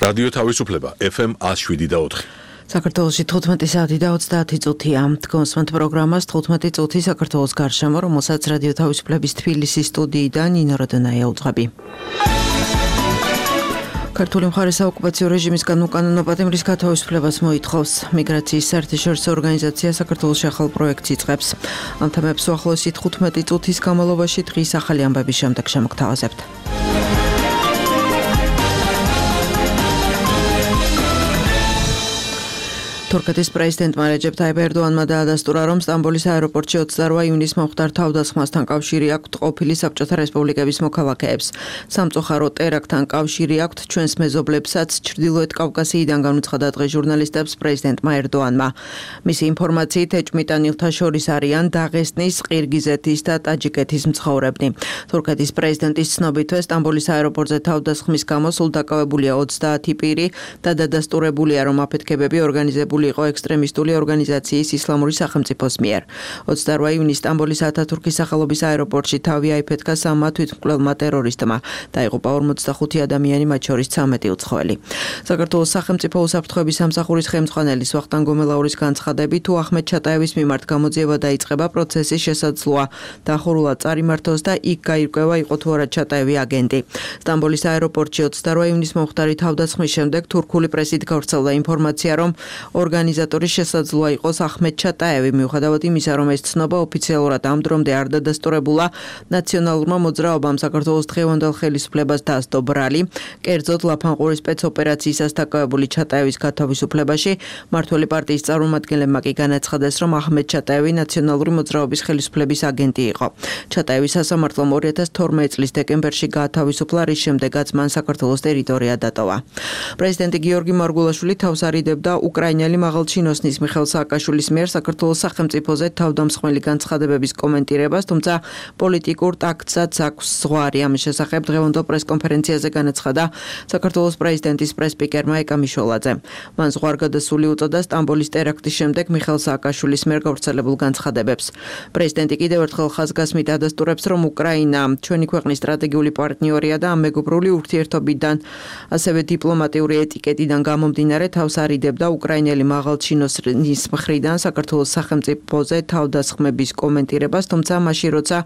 რადიო თავისუფლება FM 107.4. საქართველოში 15 საათი და 30 წუთია. კონსმენტ პროგრამას 15 წუთი საქართველოს გარშემო, რომელსაც რადიო თავისუფლების თბილისის სტუდიიდან ნინო როდონაია უძღვები. ქართული მხარე საოკუპაციო რეჟიმისგან უკანონო პატიმრის გათავისუფლებას მოითხოვს. მიგრაციის საერთაშორისო ორგანიზაცია საქართველოში ახალ პროექტს იწყებს. ამ თემებს უახლოესი 15 წუთის განმავლობაში დღის ახალი ამბების შემდეგ შემოგთავაზებთ. თურქეთის პრეზიდენტმა რეჯეპ ტაიპ ერდოანმა დაადასტურა, რომ სტამბოლის აეროპორტში 28 ივნისს მომხდარ თავდასხმასთან კავშირი აქვთ ყოფილი საბჭოთა რესპუბლიკების მოქალაქეებს. სამწუხარო ტერაქტთან კავშირი აქვთ ჩვენს მეზობლებსაც, ჩრდილოეთ კავკასიიდან განუცხადა დღეს ჟურნალისტებს პრეზიდენტმა ერდოანმა. მისი ინფორმაციით, ეჭვმიტანილთა შორის არიან დაღესტნის, ყირგიზეთის და ტაჯიკეთის მცხოვრებნი. თურქეთის პრეზიდენტის ცნობითვე სტამბოლის აეროპორტზე თავდასხმის გამო სულ დაკავებულია 30 პირი და დადასტურებულია, რომ აფეთქებები ორგანიზებული იყო ექსტრემისტული ორგანიზაციის ისლამური სახელმწიფოს მიერ. 28 ივნისს სტამბოლის ათათურქის სახელობის აეროპორტში თავი აიფეთქა სამმა თვითმკვლელმა ტერორისტმა. დაიღუპა 45 ადამიანი, მათ შორის 13 უცხოელი. საქართველოს სახელმწიფო უსაფრთხოების სამსახურის ხელმძღვანელის ვახტანგ გომელაურის განცხადებით, თუ ახმედ ჩატაევის მიმართ გამოძიება დაიწყება, პროცესი შესაძლოა დახურულად წარიმართოს და იქ გაირკვევა იყო თუ არა ჩატაევი აგენტი. სტამბოლის აეროპორტში 28 ივნისს მომხდარი თავდასხმის შემდეგ თურქული პრესით გავრცელდა ინფორმაცია, რომ ორგანიზატორი შესაძლოა იყოს ახმედ ჩატაევი, მიუხედავად იმისა, რომ ეს ცნობა ოფიციალურად ამ დრომდე არ დადასტურებულა. ნაციონალურმა მოძრაობამ საქართველოს დღევანდელ ხელისუფლებას დასდო ბრალი, კერძოდ ლაფანყურის სპეცოპერაციისას დაკავებული ჩატაევის გათავისუფლებაში. მმართველი პარტიის წარმომადგენლებმა კი განაცხადეს, რომ ახმედ ჩატაევი ნაციონალური მოძრაობის ხელისუფლების აგენტი იყო. ჩატაევის სასამართლომ 2012 წლის დეკემბერში გაათავისუფლა, რის შემდეგაც მან საქართველოს ტერიტორია დატოვა. პრეზიდენტი გიორგი მარგულაშვილი თავს არიდებდა უკრაინელი მაღალჩინოსნის მიხეილ სააკაშვილის მიერ საქართველოს სახელმწიფოზე თავდამსხმელი განცხადებების კომენტირებას, თუმცა პოლიტიკურ ტაქტსაც აქვს ზღვარი. ამის შესახებ დღევანდელ პრესკონფერენციაზე განაცხადა საქართველოს პრეზიდენტის პრესსპიკერმა ეკა მიშველაძემ. მან ზღვარგადასული უწოდა სტამბოლის ტერაქტის შემდეგ მიხეილ სააკაშვილის მიერ გავრცელებულ განცხადებებს. პრეზიდენტი კიდევ ერთხელ ხაზგასმით ადასტურებს, რომ უკრაინა ჩვენი ქვეყნის სტრატეგიული პარტნიორია და ამ მეგობრული ურთიერთობიდან, ასევე დიპლომატიური ეტიკეტიდან გამომდინარე თავს არიდებდა უკრაინელი მაღალჩინოსნის მხრიდან საქართველოს სახელმწიფოზე თავდასხმების კომენტირებას, თუმცა მაშინ როცა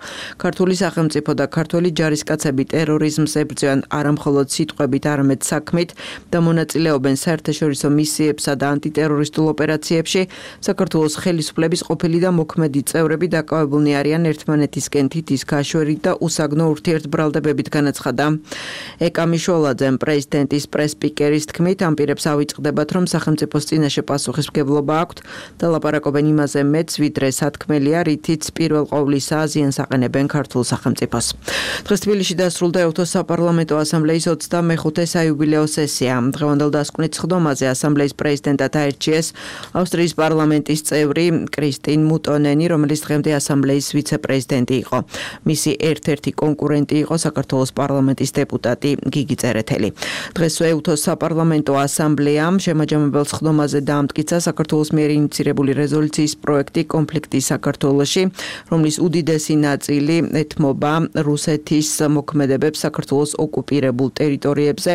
ქართული სახელმწიფო და ქართველი ჯარისკაცები ტერორიზმს ებრძვიან არა მხოლოდ სიტყვებით, არამედ საქმით და მონაწილეობენ საერთაშორისო მისიებსა და ანტიტერორისტულ ოპერაციებში, საქართველოს ხელისუფლების ყოფილი და მოქმედი წევრები დაკავებულნი არიან ერთმანეთისკენ თითის გაშვერით და უსაგნო ურთიერთბრალდებებით, განაცხადა ეკა მიშველაძემ. პრეზიდენტის პრესსპიკერის თქმით, ამ პირებს ავიწყდებათ, რომ სახელმწიფოს წინაშე პასუხისმგებლობა აქვთ და ლაპარაკობენ იმაზე მეც, ვიდრე სათქმელია, რითიც პირველ ყოვლისა ზიანს აყენებენ ქართულ სახელმწიფოს. დღეს თბილისში დასრულდა ეუთოს საპარლამენტო ასამბლეის 25-ე საიუბილეო სესია. დღევანდელ დასკვნით სხდომაზე ასამბლეის პრეზიდენტად აირჩიეს ავსტრიის პარლამენტის წევრი კრისტინ მუტონენი, რომელიც დღემდე ასამბლეის ვიცე-პრეზიდენტი იყო. მისი ერთ-ერთი კონკურენტი იყო საქართველოს პარლამენტის დეპუტატი გიგი წერეთელი. დღეს ეუთოს საპარლამენტო ასამბლეამ შემაჯამებელ სხდომაზე დაამტკიცა საქართველოს მიერ ინიცირებული რეზოლუციის პროექტი კონფლიქტი საქართველოში, რომლის უდიდესი ნაწილი ეთმობა რუსეთის მოქმედებებს საქართველოს ოკუპირებულ ტერიტორიებზე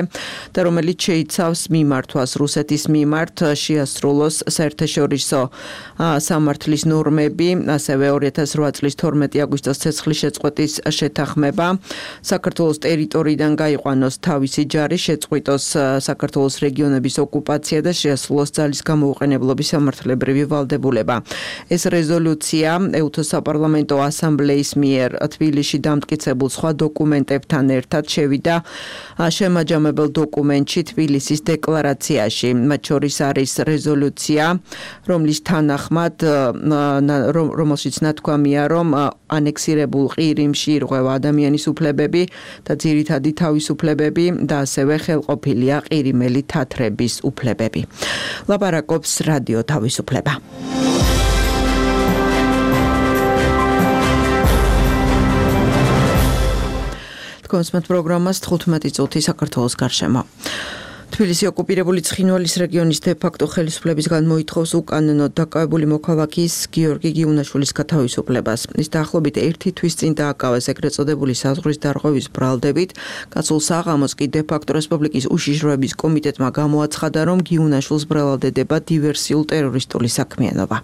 და რომელიც შეიცავს მიმართვას რუსეთის მიმართ შეასრულოს საერთაშორისო სამართლის ნორმები, ასევე 2008 წლის 12 აგვისტოს ცეცხლის შეწყვეტის შეთანხმება, საქართველოს ტერიტორიიდან გაიყვანოს თავისი ჯარი, შეწყვიტოს საქართველოს რეგიონების ოკუპაცია და შეასრულოს ძალის გამოუყენებლობის სამართლებრივი ვალდებულება. ეს რეზოლუცია ეუთოს საპარლამენტო ასამბლეის მიერ თბილისში დამტკიცებულ სხვა დოკუმენტებთან ერთად შევიდა შემაჯამებელ დოკუმენტში თბილისის დეკლარაციაში. მათ შორის არის რეზოლუცია, რომლის თანახმად, რომელშიც ნათქვამია, რომ ანექსირებულ ყირიმში ირღვევა ადამიანის უფლებები და ძირითადი თავისუფლებები და ასევე ხელყოფილია ყირიმელი თათრების უფლებები. ლაპარაკობს რადიო თავისუფლება. კონსმენტ პროგრამას 15 წუთი საქართველოს გარშემო. თბილისი ოკუპირებული ცხინვალის რეგიონის დე-ფაქტო ხელისუფლებისგან მოითხოვს უკანონოდ დაკავებული მოქალაქის გიორგი გიუნაშვილის გათავისუფლებას. ის დაახლოებით 1 თვის წინ დააკავეს ეგრეთ წოდებული საზღვრის დარღვევის ბრალდებით. კაცულ საღამოს კი დე-ფაქტო რესპუბლიკის უშიშროების კომიტეტმა გამოაცხადა, რომ გიუნაშვილს ბრალდებდება დივერსიულ ტერორისტული საქმიანობა.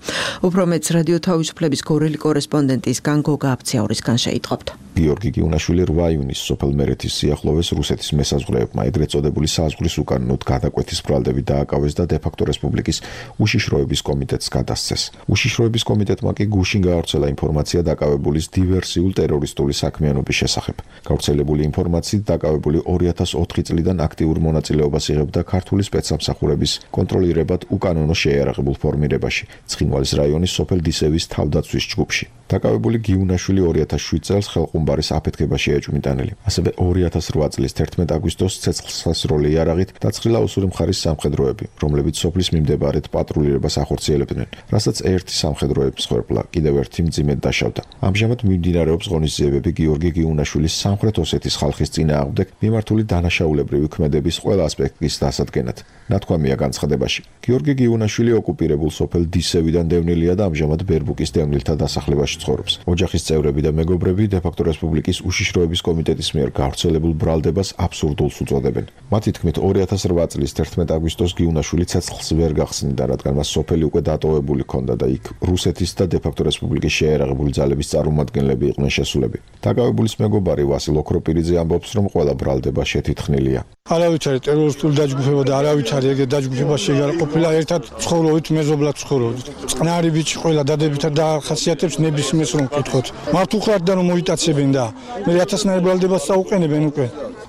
უფრო მეტს რადიო თავისუფლების გორელი კორესპონდენტის განგოგა აფციაურისგან შეიტყობთ. გიორგი გიუნაშვილი 8 იუნის სოფელ მერეთის სიახლოვეს რუსეთის მესაზღვრეებმა ეგრეთ წოდებული საზღვრის უკანონოდ გადაკვეთის ბრალდებით დააკავეს და დე-ფაქტო რესპუბლიკის უშიშროების კომიტეტს გადასცეს. უშიშროების კომიტეტმა კი გუშინ გაავრცელა ინფორმაცია დაკავებულის დივერსიულ ტერორისტული საქმიანობის შესახებ. გავრცელებული ინფორმაციით დაკავებული 2004 წლიდან აქტიურ მონაწილეობას იღებდა ქართული სპეცსამსახურების კონტროლირებად უკანონო შეიარაღებულ ფორმირებაში, ცხინვალის რაიონის სოფელ დისევის თავდაცვის ჯგუფში. დაკავებული გიუნაშვილი 2007 წელს ხელყუმბარის აფეთქებაში ეჭვმიტანილი. ასევე 2008 წლის 11 აგვისტოს ცეცხლსასროლი იარაღით დაწყრილა უსური მხარის სამხედროები, რომლებიც სოფლის მიმდებარედ პატრულირებას ახორციელებდნენ, რასაც ერთი სამხედროების მსხვერპლა კიდევ ერთი მძიმედ დაშავდა. ამჟამად მიმდინარეობს ღონისძიებები გიორგი გიუნაშვილის სამხრეთ ოსეთის ხალხის წინააღმდეგ მიმართული დანაშაულებრივი ქმედების ყველა ასპექტის დასადგენად. ნათქვამია განცხადებაში. გიორგი გიუნაშვილი ოკუპირებულ სოფელ დისევიდან დევნილია და ამჟამად ბერბუკის დევნილთა დასახლებაში ცხოვრობს. ოჯახის წევრები და მეგობრები დე-ფაქტო რესპუბლიკის უშიშროების კომიტეტის მიერ გავრცელებულ ბრალდებას აბსურდულს უწოდებენ. მათი თქმით 2008 წლის 11 აგვისტოს გიუნაშვილი ცეცხლს ვერ გახსნიდა, რადგან მას სოფელი უკვე დატოვებული ჰქონდა და იქ რუსეთის და დე-ფაქტო რესპუბლიკის შეიარაღებული ძალების წარმომადგენლები იყვნენ შესულები. დაკავებულის მეგობარი ვასილ ოქროპირიძე ამბობს, რომ ყველა ბრალდება შეთითხნილია. არავითარი ტერორისტული დაჯგუფება და არავითარი ეგრეთ დაჯგუფება შეიძლება ყოფილა, ერთად ცხოვრობთ, მეზობლად ცხოვრობთ. წყნარი ბიჭი ყველა დადებითად დაახასიათებს ნებისმიერს რომ ვკითხოთ. მართუხლად და რომ მოიტაცებენ და მე 1000-ნაირ ბრალდებას წაუყენებენ უკვე.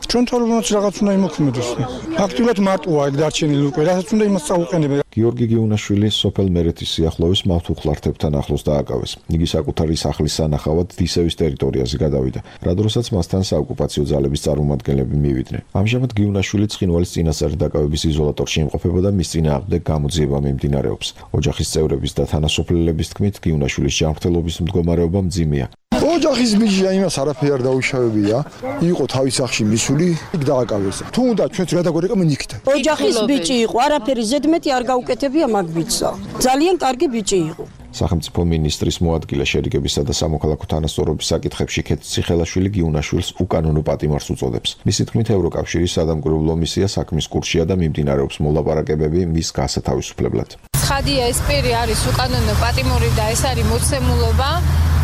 ჩვენ თორმეტ რაღაც უნდა იმოქმედოს. ფაქტიურად მარტოა ეგ დარჩენილი უკვე, რასაც უნდა იმას წაუყენებენ. გიორგი გიუნაშვილი სოფელ მერეთის სიახლოვეს მართუხლართებთან ახლოს დააკავეს. იგი საკუთარი სახლის სანახავად დისევის ტერიტორიაზე გადავიდა, რა დროსაც მასთან საოკუპაციო ძალების წარმომადგენლები მივიდნენ. ამჟამად გიუნაშვილი ცხინვალის წინასწარი დაკავების იზოლატორში იმყოფება და მის წინააღმდეგ გამოძიება მიმდინარეობს. ოჯახის წევრების და თანასოფლელების თქმით, გიუნაშვილის ჯანმრთელობის მდგომარეობა მძიმეა. ოჯახის ბიჭია, იმას არაფერი არ დაუშავებია. იყო თავის სახში მისული, იქ დააკავეს. თუნდაც ჩვენც გადაგვერეკა მენიქით. ოჯახის ბიჭი იყო, არაფერი ზედმეტი არ გაუკეთებია მაგ ბიჭსა. ძალიან კარგი ბიჭი იყო. სახელმწიფო მინისტრის მოადგილე შერიგებისა და სამოქალაქო თანასწორობის საკითხებში ქეთ ციხელაშვილი გიუნაშვილს უკანონო პატიმარს უწოდებს. მისი თქმით, ევროკავშირის სადამკვირვებლო მისია საქმის კურსშია და მიმდინარეობს მოლაპარაკებები მის გასათავისუფლებლად. ცხადია, ეს პირი არის უკანონო პატიმური და ეს არის მოცემულობა.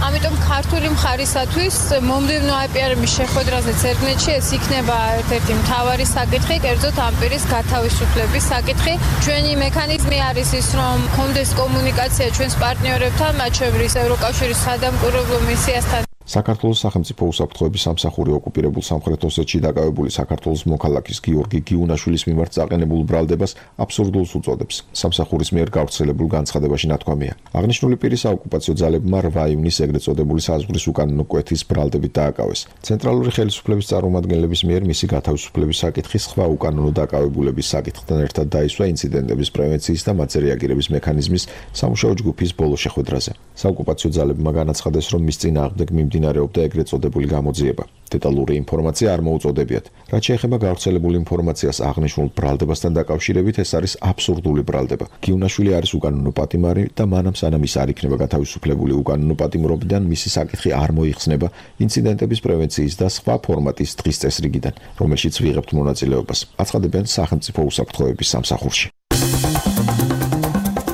ამიტომ ქართული მხარისათვის მომდევნო IPR-ის შეხვედრაზე ცერგნეთში ეს იქნება ერთ-ერთი მთავარი საკითხი, კერძოდ ამ პირის გათავისუფლების საკითხი. ჩვენი მექანიზმი არის ის, რომ გქონდეს კომუნიკაცია ჩვენს პარტნიორებთან, მათ შორის ევროკავშირის სადამკვირვებლო მისიასთან. საქართველოს სახელმწიფო უსაფრთხოების სამსახური ოკუპირებულ სამხრეთ ოსეთში დაკავებული საქართველოს მოქალაქის გიორგი გიუნაშვილის მიმართ წაყენებულ ბრალდებას აბსურდულს უწოდებს. სამსახურის მიერ გავრცელებულ განცხადებაში ნათქვამია. აღნიშნული პირის საოკუპაციო ძალებმა 8 იუნის ეგრეთ წოდებული საზღვრის უკანონო კვეთის ბრალდებით დააკავეს. ცენტრალური ხელისუფლების წარმომადგენლების მიერ მისი გათავისუფლების საკითხი სხვა უკანონო დაკავებულების საკითხთან ერთად დაისვა ინციდენტების პრევენციის და მათზე რეაგირების მექანიზმის სამუშაო ჯგუფის ბოლო შეხვედრაზე. საოკუპაციო ძალებმა განაცხადეს, რომ მის წინააღმდეგ მიმდინარეობდა ეგრეთ წოდებული გამოძიება. დეტალური ინფორმაცია არ მოუწოდებიათ. რაც შეეხება გავრცელებული ინფორმაციას აღნიშნულ ბრალდებასთან დაკავშირებით, ეს არის აბსურდული ბრალდება. გიუნაშვილი არის უკანონო პატიმარი და მანამ სანამ ის არ იქნება გათავისუფლებული უკანონო პატიმრობიდან, მისი საკითხი არ მოიხსნება ინციდენტების პრევენციის და სხვა ფორმატის დღის წესრიგიდან, რომელშიც ვიღებთ მონაწილეობას. აცხადებენ სახელმწიფო უსაფრთხოების სამსახურში.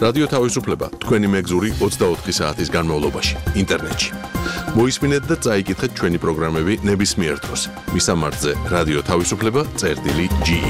რადიო თავისუფლება თქვენი მეგზური 24 საათის განმავლობაში ინტერნეტში. მოისმინეთ და წაიკითხეთ ჩვენი პროგრამები ნებისმიერ დროს. მისამართზე რადიო თავისუფლება.ge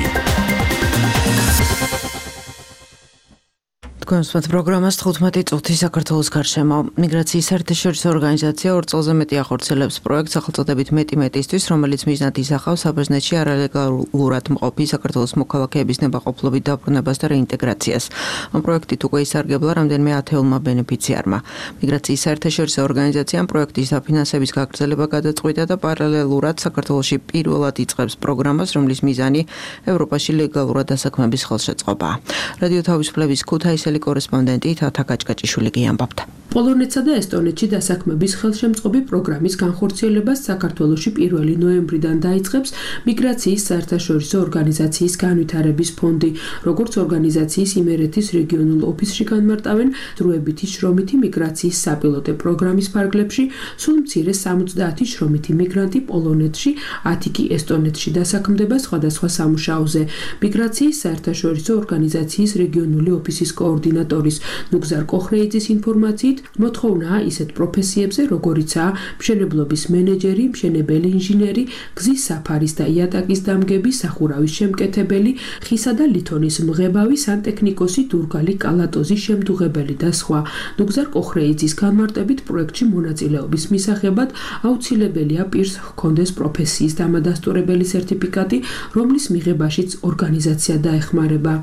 თქვენს პროგრამას 15 წუთი საქართველოს გარშემო. მიგრაციის საერთაშორისო ორგანიზაცია 2 წელზე მეტი ახორციელებს პროექტს სახელწოდებით მეტი-მეტისთვის, რომელიც მიზნად ისახავს საბერძნეთში არალეგალურად მყოფი საქართველოს მოქალაქეების ნებაყოფლობით დაბრუნებას და რეინტეგრაციას. ამ პროექტით უკვე ისარგებლა რამდენიმე 10-ულმა ბენეფიციარმა. მიგრაციის საერთაშორისო ორგანიზაციამ პროექტის დაფინანსების გაგრძელება გადაწყვიტა და პარალელურად საქართველოში პირველად იწყებს პროგრამას, რომლის მიზანი ევროპაში ლეგალურად დასაქმების ხელშეწყობაა. რადიო თავისუფლების ქუთაისელი კორესპონდენტი თათა გაჭკაჭიშვილი გიამბობდა. პოლონეთსა და ესტონეთში დასაქმების ხელშემწყობი პროგრამის განხორციელებას საქართველოში 1 ნოემბრიდან დაიწყებს მიგრაციის საერთაშორისო ორგანიზაციის განვითარების ფონდი, როგორც ორგანიზაციის იმერეთის რეგიონულ ოფისში განმარტავენ დროებითი შრომითი მიგრაციის საპილოტე პროგრამის ფარგლებში, სულ მცირე 70 შრომითი მიგრანტი პოლონეთში, 10 კი ესტონეთში დასაქმდება სხვადასხვა სამუშაოზე. მიგრაციის საერთაშორისო ორგანიზაციის რეგიონული ოფისის კოორდინატორის ნუგზარ კოხრეიძის ინფორმაციით, მოთხოვნაა ისეთ პროფესიებზე, როგორიცაა მშენებლობის მენეჯერი, მშენებელი ინჟინერი, გზის საფარის და იატაკის დამგები, სახურავის შემკეთებელი, ხისა და ლითონის მღებავი, სანტექნიკოსი, დურგალი, კალატოზი, შემდუღებელი და სხვა. ნუგზარ კოხრეიძის განმარტებით პროექტში მონაწილეობის მისაღებად აუცილებელია პირს ჰქონდეს პროფესიის დამადასტურებელი სერტიფიკატი, რომლის მიღებაშიც ორგანიზაცია დაეხმარება.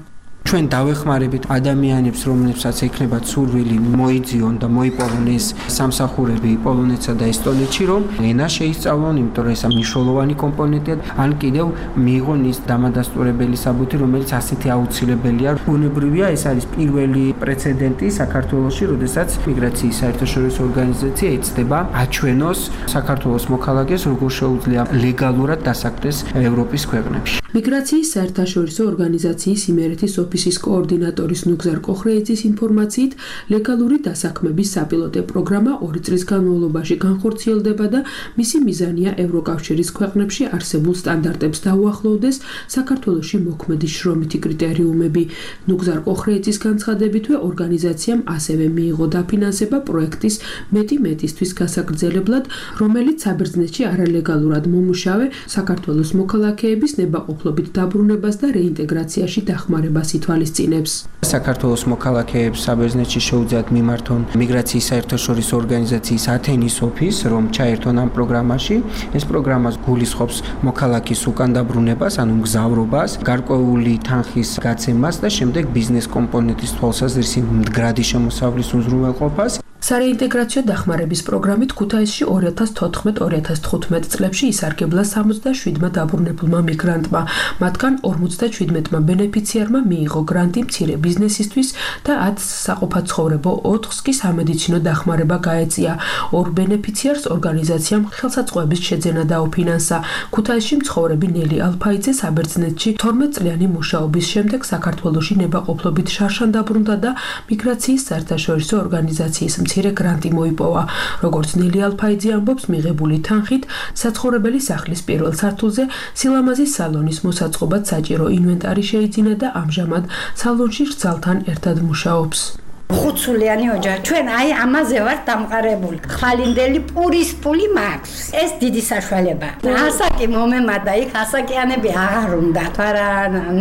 ჩვენ დავეხმარებით ადამიანებს, რომლებსაც ექნებათ სურვილი მოიძიონ და მოიპოვონ ეს სამსახურები პოლონეთსა და ესტონეთში, რომ ენა შეისწავლონ, იმიტომ რომ ეს მნიშვნელოვანი კომპონენტია, ან კიდევ მიიღონ ის დამადასტურებელი საბუთი, რომელიც ასეთი აუცილებელია. ბუნებრივია, ეს არის პირველი პრეცედენტი საქართველოში, როდესაც მიგრაციის საერთაშორისო ორგანიზაცია იცდება აჩვენოს საქართველოს მოქალაქეს, როგორ შეუძლია ლეგალურად დასაქმდეს ევროპის ქვეყნებში. მიგრაციის საერთაშორისო ორგანიზაციის იმერეთის ოფისის კოორდინატორის ნუგზარ კოხრეიძის ინფორმაციით, ლეგალური დასაქმების საპილოტე პროგრამა 2 წლის განმავლობაში განხორციელდება და მისი მიზანია ევროკავშირის ქვეყნებში არსებულ სტანდარტებს დაუახლოვდეს საქართველოში მოქმედი შრომითი კრიტერიუმები. ნუგზარ კოხრეიძის განცხადებითვე ორგანიზაციამ ასევე მიიღო დაფინანსება პროექტის მეტისთვის გასაგრძელებლად, რომელიც საბერძნეთში არალეგალურად მომუშავე საქართველოს მოქალაქეების ნებაყოფლობით დაბრუნებას და რეინტეგრაციაში დახმარებას ითვალისწინებს. საქართველოს მოქალაქეებს საბერძნეთში შეუძლიათ მიმართონ მიგრაციის საერთაშორისო ორგანიზაციის ათენის ოფისს, რომ ჩაერთონ ამ პროგრამაში. ეს პროგრამა გულისხმობს მოქალაქის უკან დაბრუნებას, ანუ მგზავრობას, გარკვეული თანხის გაცემას და შემდეგ ბიზნეს კომპონენტის თვალსაზრისი მდგრადი შემოსავლის უზრუნველყოფას. სარეინტეგრაციო დახმარების პროგრამით ქუთაისში 2014-2015 წლებში ისარგებლა 77 დაბრუნებულმა მიგრანტმა. მათგან 57-მა ბენეფიციარმა მიიღო გრანტი მცირე ბიზნესისთვის და 10 საყოფაცხოვრებო 4-ს კი სამედიცინო დახმარება გაეწია. 2 ბენეფიციარს ორგანიზაციამ ხელსაწყოების შეძენა დაუფინანსა. ქუთაისში მცხოვრები ნელი ალფაიძე საბერძნეთში 12 წლიანი მუშაობის შემდეგ საქართველოში ნებაყოფლობით შარშან დაბრუნდა და მიგრაციის საერთაშორისო ორგანიზაციის მცირე გრანტი მოიპოვა. როგორც ნელი ალფაიძე ამბობს, მიღებული თანხით საცხოვრებელი სახლის პირველ სართულზე სილამაზის სალონის მოსაწყობად საჭირო ინვენტარი შეიძინა და ამჟამად სალონში რძალთან ერთად მუშაობს. ხუთსულიანი ოჯახი. ჩვენ აი ამაზე ვართ დამყარებული. ხვალინდელი პურის პული მაქვს. ეს დიდი საშუალება. ასაკი მომემადა, იქ ასაკიანები აღარ უნდა. თორა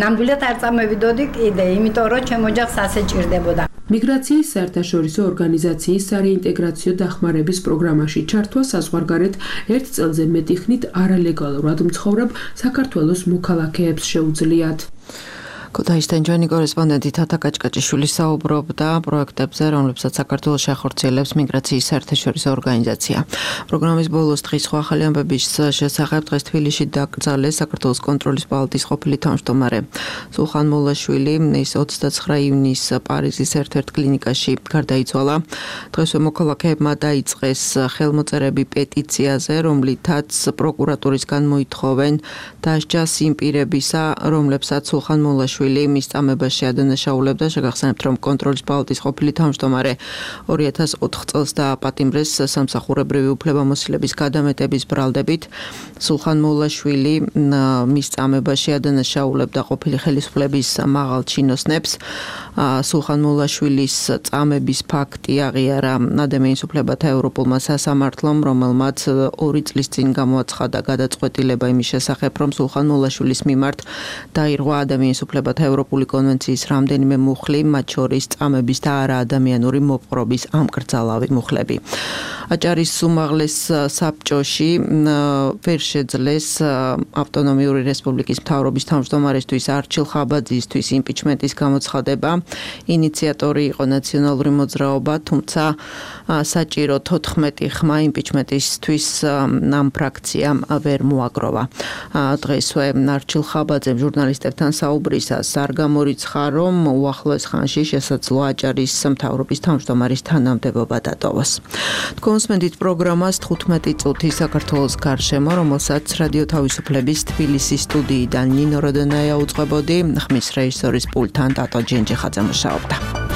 ნამდვილად არ წამოვიდოდი კიდე, იმიტომ რომ ჩემ ოჯახს ასე ჭირდებოდა. მიგრაციის საერთაშორისო ორგანიზაციის სარეინტეგრაციო დახმარების პროგრამაში ჩართვა საზღვარგარეთ 1 წელზე მეტი ხნით არალეგალურად მცხოვრებ საქართველოს მოქალაქეებს შეუძლიათ. ქუთაისთან ჩვენი კორესპონდენტი თათა კაჭკაჭიშვილი საუბრობდა პროექტებზე, რომლებსაც საქართველოში ახორციელებს მიგრაციის საერთაშორისო ორგანიზაცია. პროგრამის ბოლოს დღის სხვა ახალი ამბების შესახებ დღეს თბილისში დაკრძალეს საქართველოს კონტროლის პალატის ყოფილი თავმჯდომარე სულხან მოლაშვილი. ის 29 ივნის პარიზის ერთ-ერთ კლინიკაში გარდაიცვალა. დღესვე მოქალაქეებმა დაიწყეს ხელმოწერები პეტიციაზე, რომლითაც პროკურატურისგან მოითხოვენ დასჯას იმ პირებისა, რომლებსაც სულხან მოლაშვილი მის წამებაში ადანაშაულებდა. შეგახსენებთ, რომ კონტროლის პალატის ყოფილი თავმჯდომარე 2004 წელს დააპატიმრეს სამსახურებრივი უფლებამოსილების გადამეტების ბრალდებით. სულხან მოლაშვილი მის წამებაში ადანაშაულებდა ყოფილი ხელისუფლების მაღალ ჩინოსნებს. სულხან მოლაშვილის წამების ფაქტი აღიარა ადამიანის უფლებათა ევროპულმა სასამართლომ, რომელმაც 2 წლის წინ გამოაცხადა გადაწყვეტილება იმის შესახებ, რომ სულხან მოლაშვილის მიმართ დაირღვა ადამიანის უფლებათა ევროპული კონვენციის რამდენიმე მუხლი, მათ შორის წამების და არაადამიანური მოპყრობის ამკრძალავი მუხლები. აჭარის უმაღლეს საბჭოში ვერ შეძლეს ავტონომიური რესპუბლიკის მთავრობის თავმჯდომარესთვის არჩილ ხაბაძისთვის იმპიჩმენტის გამოცხადება. ინიციატორი იყო ნაციონალური მოძრაობა, თუმცა საჭირო 14 ხმა იმპიჩმენტისთვის ამ ფრაქციამ ვერ მოაგროვა. დღესვე ნარჩილ ხაბაძემ ჟურნალისტებთან საუბრისას არ გამორიცხა, რომ უახლოეს ხანში შესაძლოა აჭარის მთავრობის თავმჯდომარის თანამდებობა დატოვოს. თქვენსმენდით პროგრამას 15 წუთი საქართველოს გარშემო, რომელსაც რადიო თავისუფლების თბილისის სტუდიიდან ნინო როდონაია უძღვებოდი, ხმის რეჟისორის პულტთან ტატო ჯენჯიხაძე მუშაობდა.